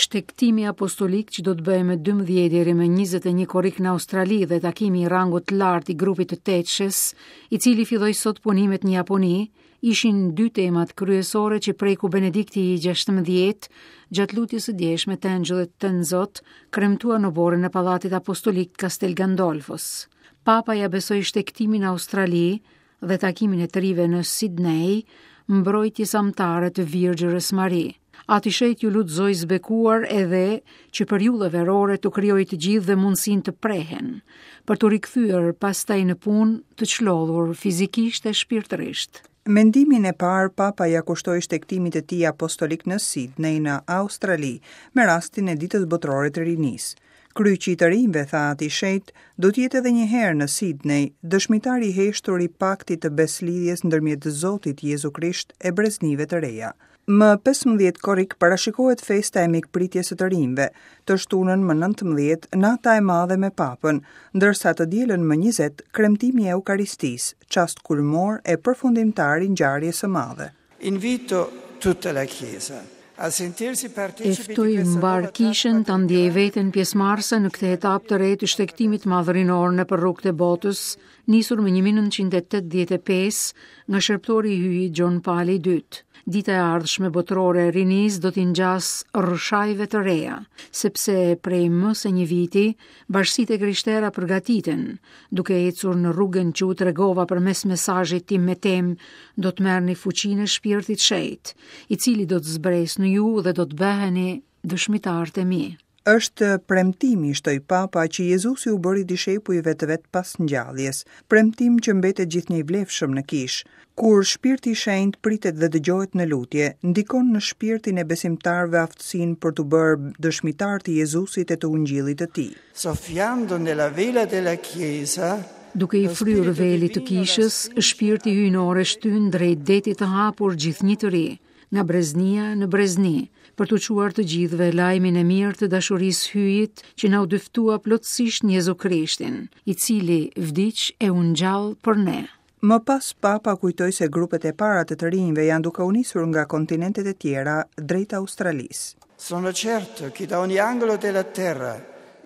Shtegtimi apostolik që do të bëhej më 12 deri më 21 korrik në Australi dhe takimi i rangut të lartë i grupit të Tetëshes, i cili filloi sot punimet në Japoni, ishin dy temat kryesore që preku Benedikti i 16 gjatë lutjes së djeshme të Engjëllit Tënzot, kremtuar në oborrin e Pallatit Apostolik të Castel Gandolfos. Papa ia besoi shtegtimin në Australi dhe takimin e të rinjve në Sidney, mbrojtjes amtare të Virgjërës Mari. Ati i Shenjtë iu lut Zojës së Bekuar edhe që periudha verore t'u krijojë të gjithëve mundësinë të prehen, për t'u rikthyer pastaj në punë të çlodhur fizikisht e shpirtërisht. Mendimin e parë Papa ia kushtoi shtegtimit të tij apostolik në Sidney në Australi, me rastin e Ditës Botërore të Rinisë. Kryqi i të rinjve, tha Ati i Shenjtë, do të jetë edhe një herë në Sidney, dëshmitar i heshtur i paktit të besëlidhjes ndërmjet Zotit Jezu Krisht e breznive të reja. Më 15 korrik parashikohet festa e mikpritjes së të rinjve, të shtunën më 19 nata e madhe me Papën, ndërsa të dielën më 20 kremtimi i Eukaristisë, çast kulmor e përfundimtar i ngjarjes së madhe. Invito tutta la Chiesa a sentirsi E partecipi di ftoj questa mbarë nuova kishën tappa ta del ndjejë grande veten pjesëmarrëse në këtë etapë të re të shtegtimit madh rinor nëpër rrugët e botës, nisur më 1985 nga shërbëtori i Hyjit Gjon Pali i II. Dita e ardhshme botërore e rinisë do t'i ngjasë rrëshajve të reja, sepse prej më se një viti bashkësitë e krishtera përgatiten, duke ecur në rrugën që u tregova përmes mesazhit tim me temë do të merrni fuqinë e shpirtit shenjt, i cili do të zbresë në ju dhe do të bëheni dëshmitarët e mi. Është premtimi, shtoi Papa, që Jezusi u bëri dishepujve të vet pas ngjalljes, premtim që mbetet gjithnjë i vlefshëm në kishë. Kur Shpirti i Shenjtë pritet dhe dëgjohet në lutje, ndikon në shpirtin e besimtarëve aftësinë për t'u bërë dëshmitarë të Jezusit e të Ungjillit të tij. Soffiando nella vela della Chiesa, Duke i lo fryrë spirito velit të divino la kishës, spinge shpirti hyjnor e shtyn drejt detit të hapur gjithnjë të ri, nga breznia në brezni, për t'u çuar të gjithëve lajmin e mirë të dashurisë Hyjit që na u dëftua plotësisht në Jezu Krishtin, i cili vdiq e u ngjall për ne. Më pas Papa kujtoi se grupet e para të të rinjve janë duke u nisur nga kontinentet e tjera drejt Australisë. Sono certo che da ogni angolo della terra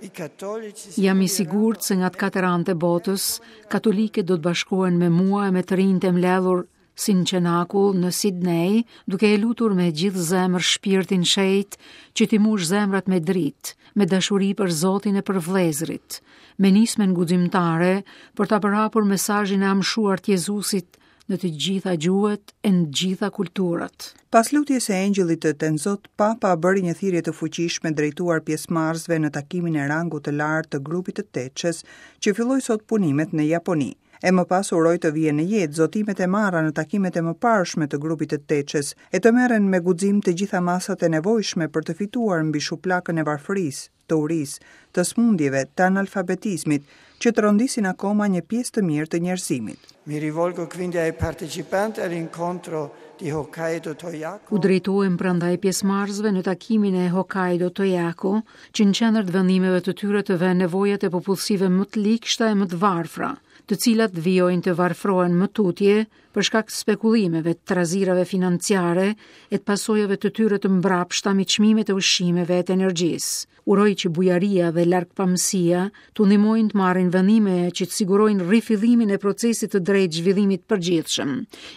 i cattolici si Jam i uniranno sigurt se nga të katër anët e botës, katolikët do të bashkohen me mua e me të rinjtë e mbledhur si në Qenakull në Sidney, duke e lutur me gjithë zemër shpirtin shenjt që t'i mush zemrat me dritë, me dashuri për Zotin e për vëllezërit, me nismën guximtare për ta përhapur mesazhin e amshuar të Jezusit në të gjitha gjuhët e në të gjitha kulturat. Pas lutjes së Engjëllit të Tenzot, Papa bëri një thirrje të fuqishme drejtuar pjesëmarrësve në takimin e rangut të lartë të grupit të Tetëshes, që filloi sot punimet në Japoni. E më pas uroi të vihen në jetë zotimet e marra në takimet e mëparshme të grupit të Tetëshes e të merren me guxim të gjitha masat e nevojshme për të fituar mbi shuplakën e varfërisë, të urisë, të sëmundjeve, të analfabetizmit, që trondisin akoma një pjesë të mirë të njerëzimit. Mi rivolgo quindi ai partecipanti all'incontro di Hokkaido Toyako. U drejtohem prandaj pjesëmarrësve në takimin e Hokkaido Toyako, që në qendër të vendimeve të tyre të vënë nevojat e popullsive më të ligshta e më të varfra, të cilat vijojnë të varfrohen më tutje për shkak të spekulimeve, të trazirave financiare e të pasojave të tyre të mbrapshta mbi çmimet e ushqimeve e të energjisë. Uroj që bujaria dhe largpamësia t'u ndihmojnë të marrin vendime që të sigurojnë rifillimin e procesit të drejtë zhvillimit të përgjithshëm,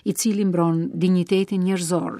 i cili mbron dinjitetin njerëzor.